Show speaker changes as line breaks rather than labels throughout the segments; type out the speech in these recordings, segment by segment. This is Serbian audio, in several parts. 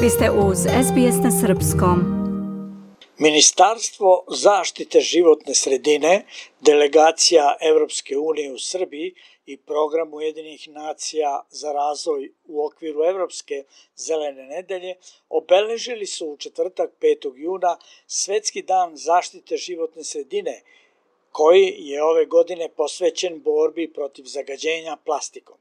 Vi ste uz SBS na srpskom.
Ministarstvo zaštite životne sredine, delegacija Evropske unije u Srbiji i program Ujedinjenih nacija za razvoj u okviru Evropske zelene nedelje obeležili su u četvrtak 5. juna Svetski dan zaštite životne sredine, koji je ove godine posvećen borbi protiv zagađenja plastikom.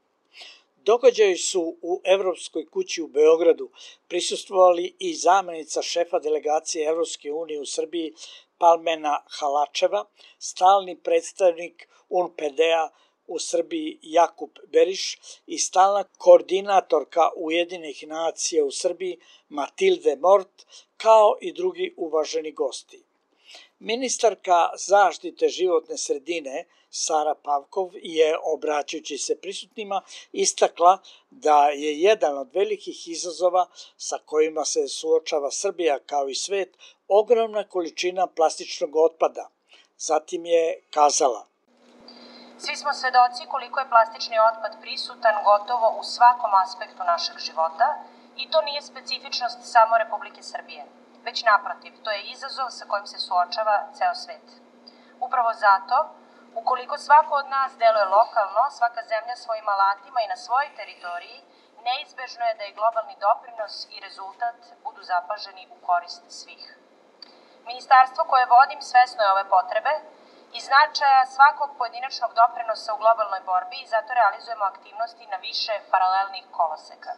Događaji su u Evropskoj kući u Beogradu prisustvovali i zamenica šefa delegacije Evropske unije u Srbiji Palmena Halačeva, stalni predstavnik UNPD-a u Srbiji Jakub Beriš i stalna koordinatorka Ujedinjenih nacija u Srbiji Matilde Mort, kao i drugi uvaženi gosti. Ministarka zaštite životne sredine Sara Pavkov je, obraćajući se prisutnima, istakla da je jedan od velikih izazova sa kojima se suočava Srbija kao i svet ogromna količina plastičnog otpada. Zatim je kazala:
Svi smo svedoci koliko je plastični otpad prisutan gotovo u svakom aspektu našeg života i to nije specifičnost samo Republike Srbije, već naprotiv, to je izazov sa kojim se suočava ceo svet. Upravo zato, ukoliko svako od nas deluje lokalno, svaka zemlja svojim alatima i na svojoj teritoriji, neizbežno je da je globalni doprinos i rezultat budu zapaženi u korist svih. Ministarstvo koje vodim svesno je ove potrebe i značaja svakog pojedinačnog doprinosa u globalnoj borbi i zato realizujemo aktivnosti na više paralelnih koloseka.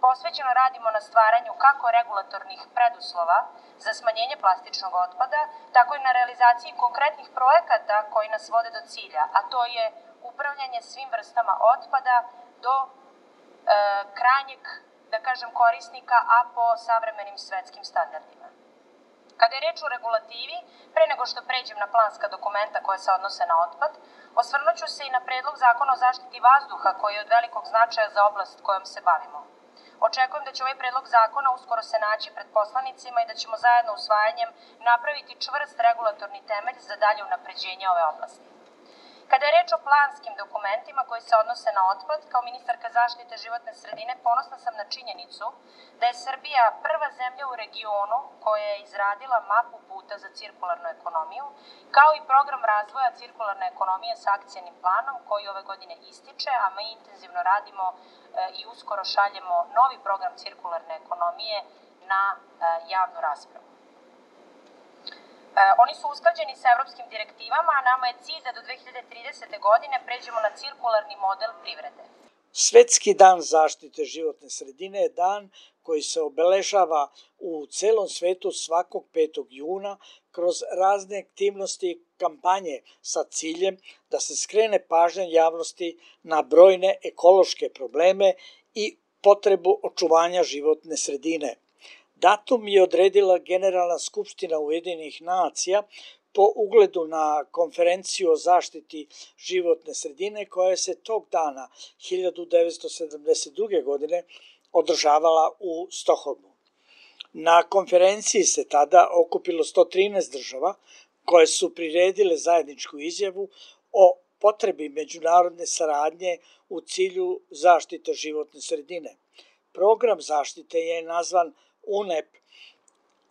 Posvećeno radimo na stvaranju kako regulatornih preduslova za smanjenje plastičnog otpada, tako i na realizaciji konkretnih projekata koji nas vode do cilja, a to je upravljanje svim vrstama otpada do krajnjeg, korisnika, a po savremenim svetskim standardima. Kada je reč o regulativi, pre nego što pređem na planska dokumenta koja se odnose na otpad, osvrnuću se i na predlog zakona o zaštiti vazduha koji je od velikog značaja za oblast kojom se bavimo. Očekujem da će ovaj predlog zakona uskoro se naći pred poslanicima i da ćemo zajedno usvajanjem napraviti čvrst regulatorni temelj za dalje unapređenje ove oblasti. Kada je reč o planskim dokumentima koji se odnose na otpad, kao ministarka zaštite životne sredine ponosna sam na činjenicu da je Srbija prva zemlja u regionu koja je izradila mapu puta za cirkularnu ekonomiju, kao i program razvoja cirkularne ekonomije sa akcionim planom koji ove godine ističe, a mi intenzivno radimo i uskoro šaljemo novi program cirkularne ekonomije na javnu raspravu. Oni su usklađeni sa evropskim direktivama, a nama je cilj da do 2030. godine pređemo na cirkularni model privrede.
Svetski dan zaštite životne sredine je dan koji se obeležava u celom svetu svakog 5. juna kroz razne aktivnosti i kampanje sa ciljem da se skrene pažnja javnosti na brojne ekološke probleme i potrebu očuvanja životne sredine. Datum je odredila Generalna skupština Ujedinjenih nacija po ugledu na konferenciju o zaštiti životne sredine koja se tog dana 1972. godine održavala u Stokholmu. Na konferenciji se tada okupilo 113 država koje su priredile zajedničku izjavu o potrebi međunarodne saradnje u cilju zaštite životne sredine. Program zaštite je nazvan UNEP,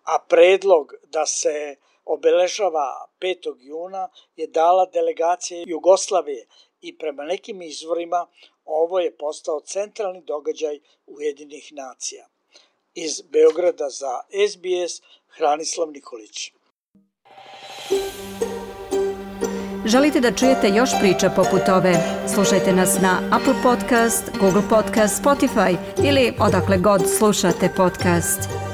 a predlog da se obeležava 5. juna je dala delegacija Jugoslavije i prema nekim izvorima ovo je postao centralni događaj Ujedinjenih nacija. Iz Beograda za SBS, Hranislav Nikolić.
Želite da čujete još priča poput ove? Slušajte nas na Apple Podcast, Google Podcast, Spotify ili odakle god slušate podcast.